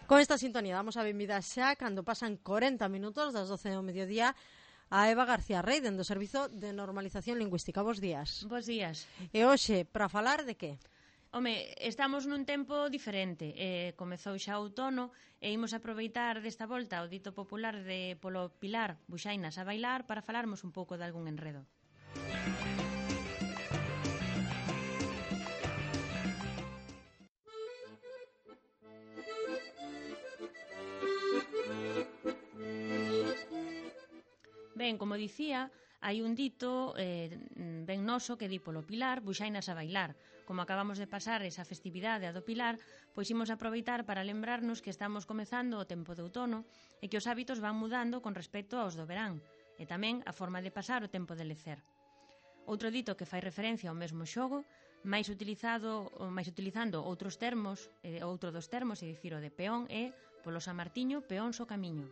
Con esta sintonía damos a benvida xa cando pasan 40 minutos das 12 do mediodía a Eva García Rey, dentro do Servizo de Normalización Lingüística. Bos días. Bos días. E hoxe, para falar de que? Home, estamos nun tempo diferente. Comezou xa o outono e imos aproveitar desta volta o dito popular de polo Pilar, buxainas a bailar, para falarmos un pouco de algún enredo. Ben, como dicía, hai un dito ben noso que di polo Pilar, buxainas a bailar. Como acabamos de pasar esa festividade a do Pilar, pois imos aproveitar para lembrarnos que estamos comezando o tempo de outono e que os hábitos van mudando con respecto aos do verán, e tamén a forma de pasar o tempo de lecer. Outro dito que fai referencia ao mesmo xogo, máis utilizando outros termos, outro dos termos, é dicir, o de peón, é polo San Martiño, peóns o camiño.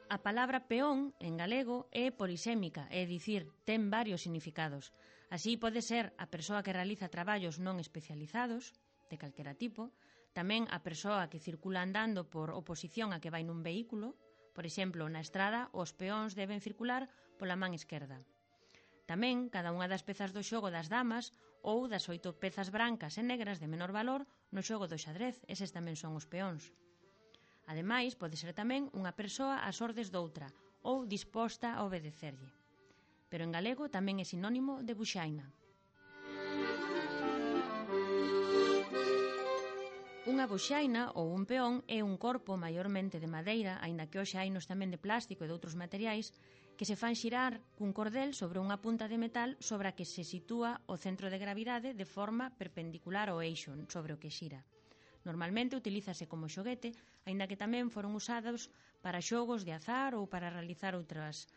A palabra peón, en galego, é polisémica, é dicir, ten varios significados. Así pode ser a persoa que realiza traballos non especializados, de calquera tipo, tamén a persoa que circula andando por oposición a que vai nun vehículo, por exemplo, na estrada, os peóns deben circular pola man esquerda. Tamén, cada unha das pezas do xogo das damas ou das 8 pezas brancas e negras de menor valor no xogo do xadrez, eses tamén son os peóns. Ademais, pode ser tamén unha persoa ás ordes doutra ou disposta a obedecerlle. Pero en galego tamén é sinónimo de buxaina. Unha buxaina ou un peón é un corpo maiormente de madeira, aínda que hoxe hainos tamén de plástico e de outros materiais, que se fan xirar cun cordel sobre unha punta de metal sobre a que se sitúa o centro de gravidade de forma perpendicular ao eixo sobre o que xira. Normalmente utilízase como xoguete, aínda que tamén foron usados para xogos de azar ou para realizar outros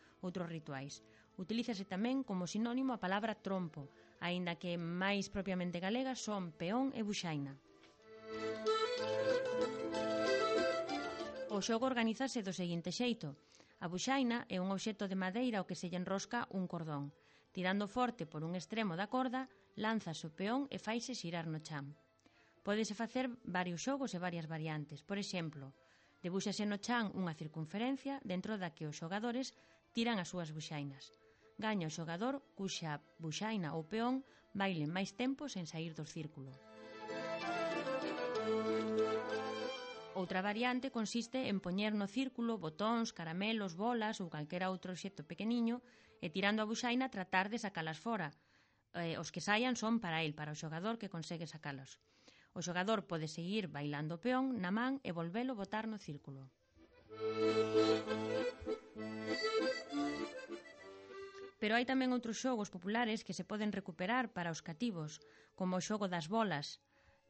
rituais. Utilízase tamén como sinónimo a palabra trompo, aínda que máis propiamente galega son peón e buxaina. O xogo organízase do seguinte xeito. A buxaina é un obxecto de madeira ao que se lle enrosca un cordón. Tirando forte por un extremo da corda, lánzase o peón e faise xirar no chan. Pódese facer varios xogos e varias variantes. Por exemplo, debúxase no chan unha circunferencia dentro da que os xogadores tiran as súas buxainas. Gaña o xogador cuxa buxaina ou peón baile máis tempo sen sair do círculo. Outra variante consiste en poñer no círculo botóns, caramelos, bolas ou calquera outro obxecto pequeniño e tirando a buxaina tratar de sacalas fora. Os que saian son para el, para o xogador que consegue sacalos. O xogador pode seguir bailando o peón na man e volvelo botar no círculo. Pero hai tamén outros xogos populares que se poden recuperar para os cativos, como o xogo das bolas.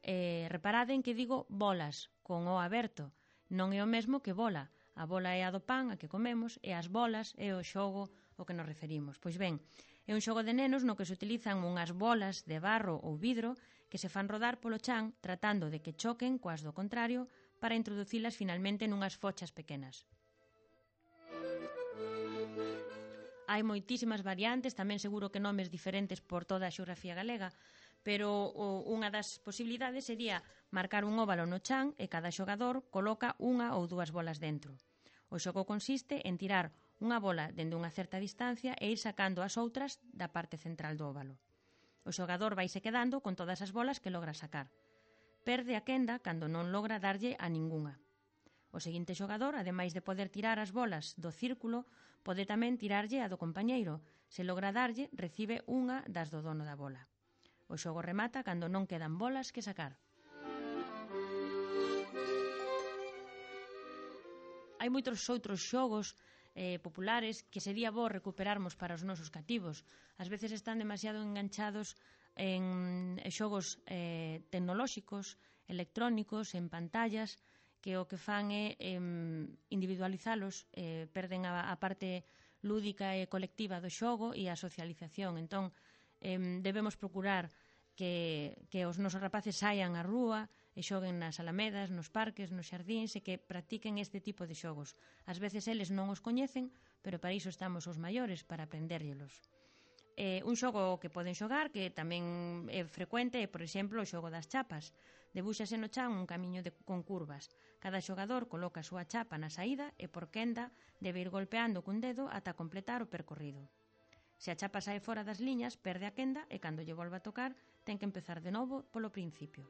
Reparaden que digo bolas, con o aberto. Non é o mesmo que bola. A bola é a do pan, a que comemos, e as bolas é o xogo ao que nos referimos. Pois ben, é un xogo de nenos no que se utilizan unhas bolas de barro ou vidro que se fan rodar polo chan tratando de que choquen coas do contrario para introducilas finalmente nunhas fochas pequenas. Hai moitísimas variantes, tamén seguro que nomes diferentes por toda a xeografía galega, pero unha das posibilidades sería marcar un óvalo no chan e cada xogador coloca unha ou dúas bolas dentro. O xogo consiste en tirar unha bola dende unha certa distancia e ir sacando as outras da parte central do óvalo. O xogador vaise quedando con todas as bolas que logra sacar. Perde a quenda cando non logra darlle a ningunha. O seguinte xogador, ademais de poder tirar as bolas do círculo, pode tamén tirarlle a do compañeiro. Se logra darlle, recibe unha das do dono da bola. O xogo remata cando non quedan bolas que sacar. Hai moitos outros xogos populares que sería bo recuperarmos para os nosos cativos. Ás veces están demasiado enganchados en xogos tecnolóxicos, electrónicos, en pantallas, que o que fan é individualizalos, perden a parte lúdica e colectiva do xogo e a socialización. Entón, debemos procurar que os nosos rapaces saian á rúa e xoguen nas alamedas, nos parques, nos xardíns e que practiquen este tipo de xogos. Ás veces eles non os coñecen, pero para iso estamos os maiores, para aprendérllelos. Un xogo que poden xogar, que tamén é frecuente, é, por exemplo, o xogo das chapas. Debúxase no chan un camiño con curvas. Cada xogador coloca a súa chapa na saída e por quenda debe ir golpeando cun dedo ata completar o percorrido. Se a chapa sae fora das liñas, perde a quenda e cando lle volva a tocar, ten que empezar de novo polo principio.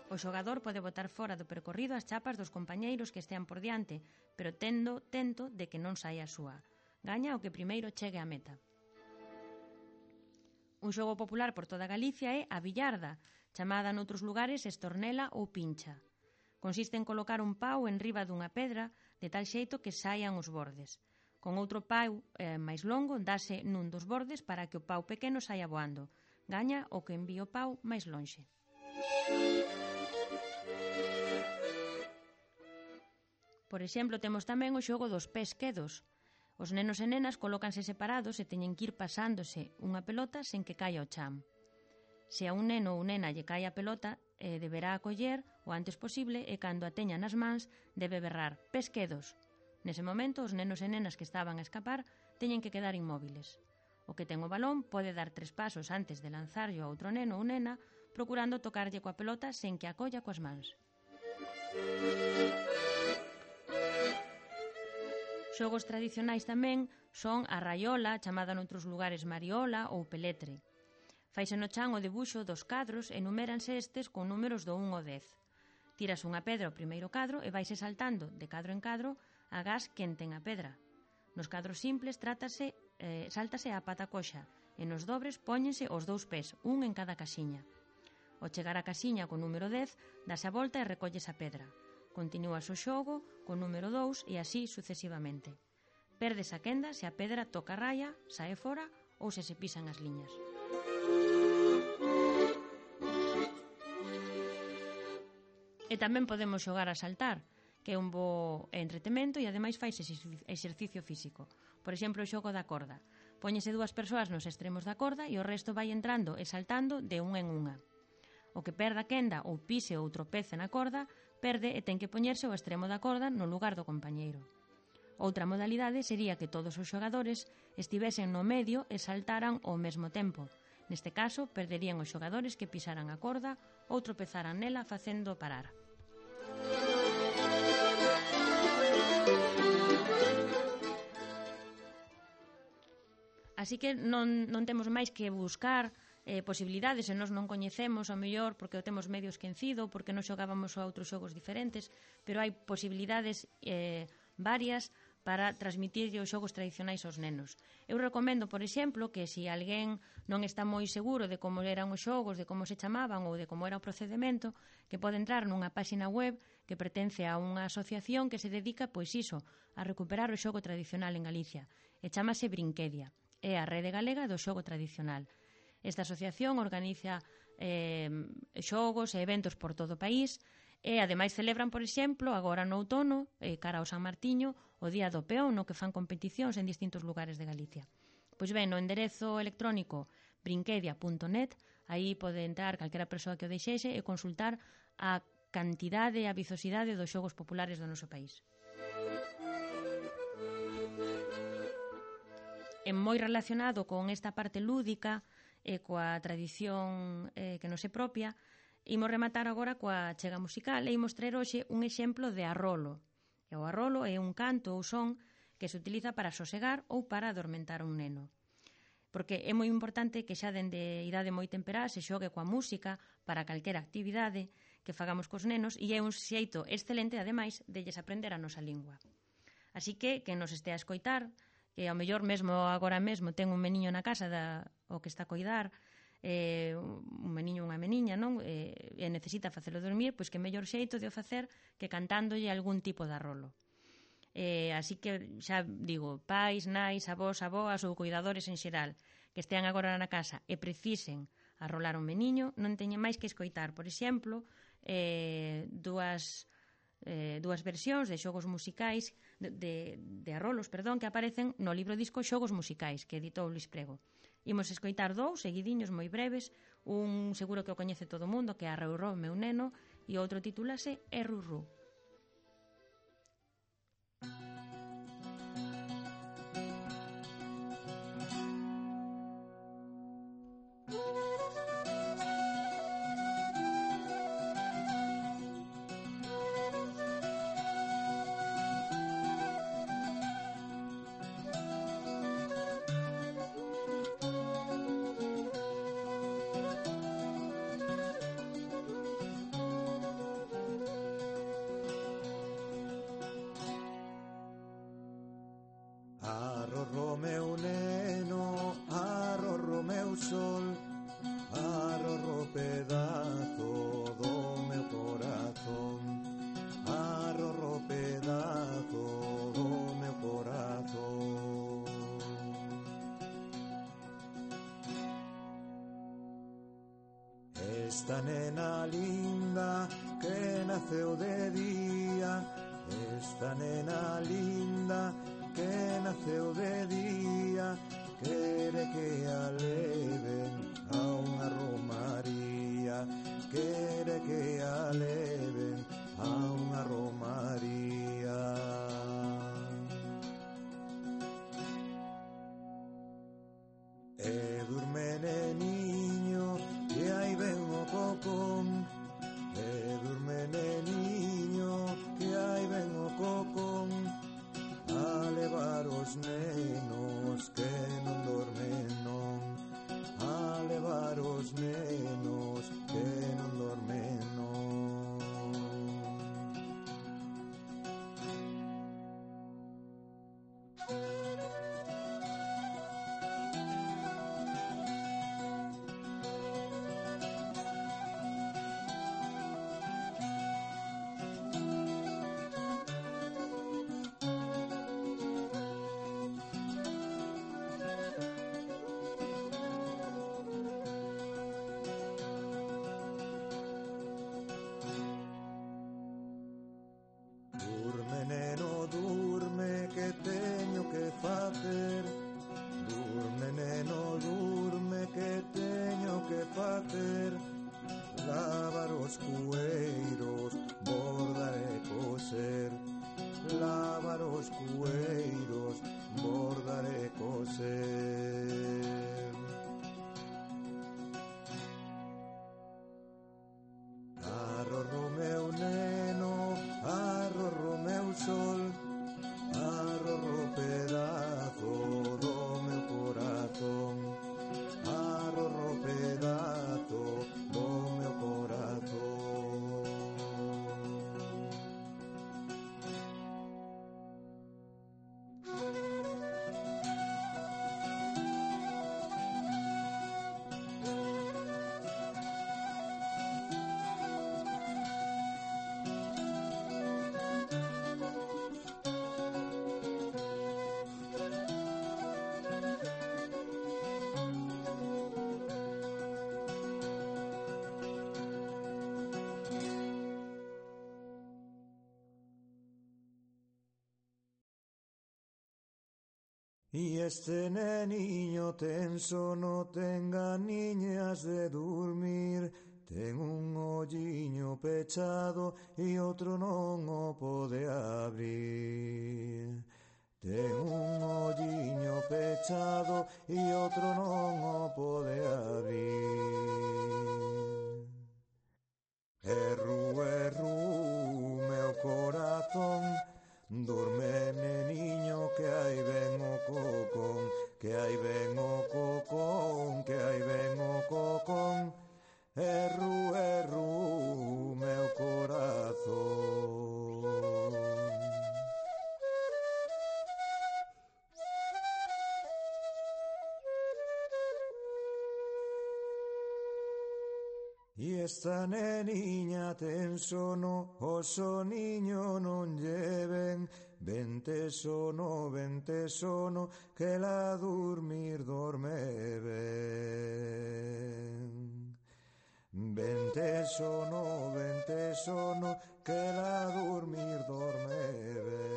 O xogador pode botar fora do percorrido as chapas dos compañeiros que estean por diante, pero tento de que non saia a súa. Gaña o que primeiro chegue á meta. Un xogo popular por toda Galicia é a billarda, chamada noutros lugares estornela ou pincha. Consiste en colocar un pau en riba dunha pedra de tal xeito que saian os bordes. Con outro pau máis longo dase nun dos bordes para que o pau pequeno saia voando. Gaña o que envíe o pau máis lonxe. Por exemplo, temos tamén o xogo dos pés quedos. Os nenos e nenas colócanse separados e teñen que ir pasándose unha pelota sen que caia ao chan. Se a un neno ou nena lle cae a pelota, deberá acoller o antes posible e cando a teña nas mans debe berrar pés quedos. Nese momento, os nenos e nenas que estaban a escapar teñen que quedar inmóviles. O que ten o balón pode dar 3 pasos antes de lanzarlo a outro neno ou nena, procurando tocarlle coa pelota sen que a colla coas mans. Xogos tradicionais tamén son a raiola, chamada noutros lugares mariola ou peletre. Faise no chan o debuxo dos cadros e numéranse estes con números do 1 ao 10. Tiras unha pedra ao primeiro cadro e vaise saltando de cadro en cadro agás quen ten a pedra. Nos cadros simples sáltase a pata coxa e nos dobres póñense os 2 pés, un en cada casiña. Ao chegar á casiña con número 10, dase a volta e recolles a pedra. Continúas o xogo con número 2 e así sucesivamente. Perdes a quenda se a pedra toca a raya, sae fora ou se pisan as liñas. E tamén podemos xogar a saltar, que é un bo entretemento e ademais fai exercicio físico. Por exemplo, o xogo da corda. Póñese 2 persoas nos extremos da corda e o resto vai entrando e saltando de unha en unha. O que perda a quenda ou pise ou tropece na corda, perde e ten que poñerse ao extremo da corda no lugar do compañeiro. Outra modalidade sería que todos os xogadores estivesen no medio e saltaran ao mesmo tempo. Neste caso, perderían os xogadores que pisaran a corda ou tropezaran nela facendo parar. Así que non temos máis que buscar posibilidades e nós non coñecemos ao mellor porque o temos medio esquecido, porque non xogábamos a outros xogos diferentes, pero hai posibilidades varias para transmitir os xogos tradicionais aos nenos. Eu recomendo, por exemplo, que se alguén non está moi seguro de como eran os xogos, de como se chamaban ou de como era o procedimento, que pode entrar nunha páxina web que pertence a unha asociación que se dedica, pois iso, a recuperar o xogo tradicional en Galicia, e chamase Brinquedia. É a rede galega do xogo tradicional. Esta asociación organiza xogos e eventos por todo o país e ademais celebran, por exemplo, agora no outono, cara ao San Martiño, o Día do Peón, no que fan competicións en distintos lugares de Galicia. Pois ben, no enderezo electrónico brinquedia.net, aí pode entrar calquera persoa que o deixexe e consultar a cantidade e a vizosidade dos xogos populares do noso país. É moi relacionado con esta parte lúdica e coa tradición que nos é propia, imos rematar agora coa chega musical e imos traer hoxe un exemplo de arrolo. E o arrolo é un canto ou son que se utiliza para sosegar ou para adormentar un neno. Porque é moi importante que xa dende idade moi temperá se xogue coa música para calquera actividade que fagamos cos nenos e é un xeito excelente, ademais, de lles aprender a nosa lingua. Así que nos estea a escoitar, que ao mellor mesmo agora mesmo ten un meniño na casa o que está a coidar, un meniño ou unha meniña, non? E necesita facelo dormir, pois que mellor xeito de o facer que cantándolle algún tipo de arrolo. Así que xa digo, pais, nais, avós, aboas ou cuidadores en xeral que estean agora na casa e precisen arrolar un meniño, non teñen máis que escoitar, por exemplo, dúas versións de xogos musicais de arrolos, que aparecen no libro disco Xogos Musicais que editou Luís Prego. Imos escoitar 2 seguidiños moi breves, un seguro que o coñece todo o mundo, que é Arroró, meu neno, e outro titúlase Errurrú. Arrorro meu neno, arrorro meu sol, arrorro pedazo do meu corazón, arrorro pedazo do meu corazón. Esta nena linda que naceu de día, esta nena linda que naceu de día, quere que a leven a unha romaría, quere que a leven a unha romaría. E durme neniño, que aí ven o cocón, e durme neniño, que aí ven o cocón, a levar os nenos que non dormen non, a levar os nenos que non dormen non. Durme neno, durme, que teño que facer. Durme neno, durme, que teño que facer. Lavar os cueiros, bordar e coser. Lavar os cueiros, bordar e coser. Arrorro meu neno, arrorro meu sol, arrorro pedazo do meu corazón, arrorro pedazo do meu corazón. Y este neniño ten sono, ten ganiñas de dormir, ten un olliño pechado e outro non o pode abrir. Ten un olliño pechado e outro non o pode abrir. Erru, erru, meu corazón, dorme neniño, que aí ven o cocón, que aí ven o cocón, que aí ven o cocón. Erru, erru, meu corazón. E esta neniña ten sono, o soniño non lle ven. Vente sono, que la dormir dorme ben. Vente sono, que la dormir dorme ben.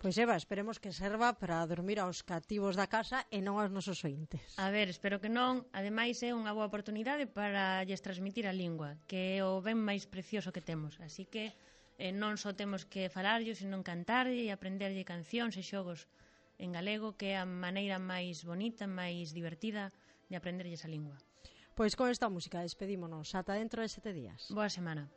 Pois Eva, esperemos que serva para dormir aos cativos da casa e non aos nosos ointes. A ver, espero que non. Ademais, é unha boa oportunidade para lles transmitir a lingua, que é o ben máis precioso que temos. Así que non só temos que falarlle, senón cantarlle e aprenderlle cancións e xogos en galego, que é a maneira máis bonita, máis divertida de aprenderlles a lingua. Pois con esta música despedímonos. Ata dentro de 7 días. Boa semana.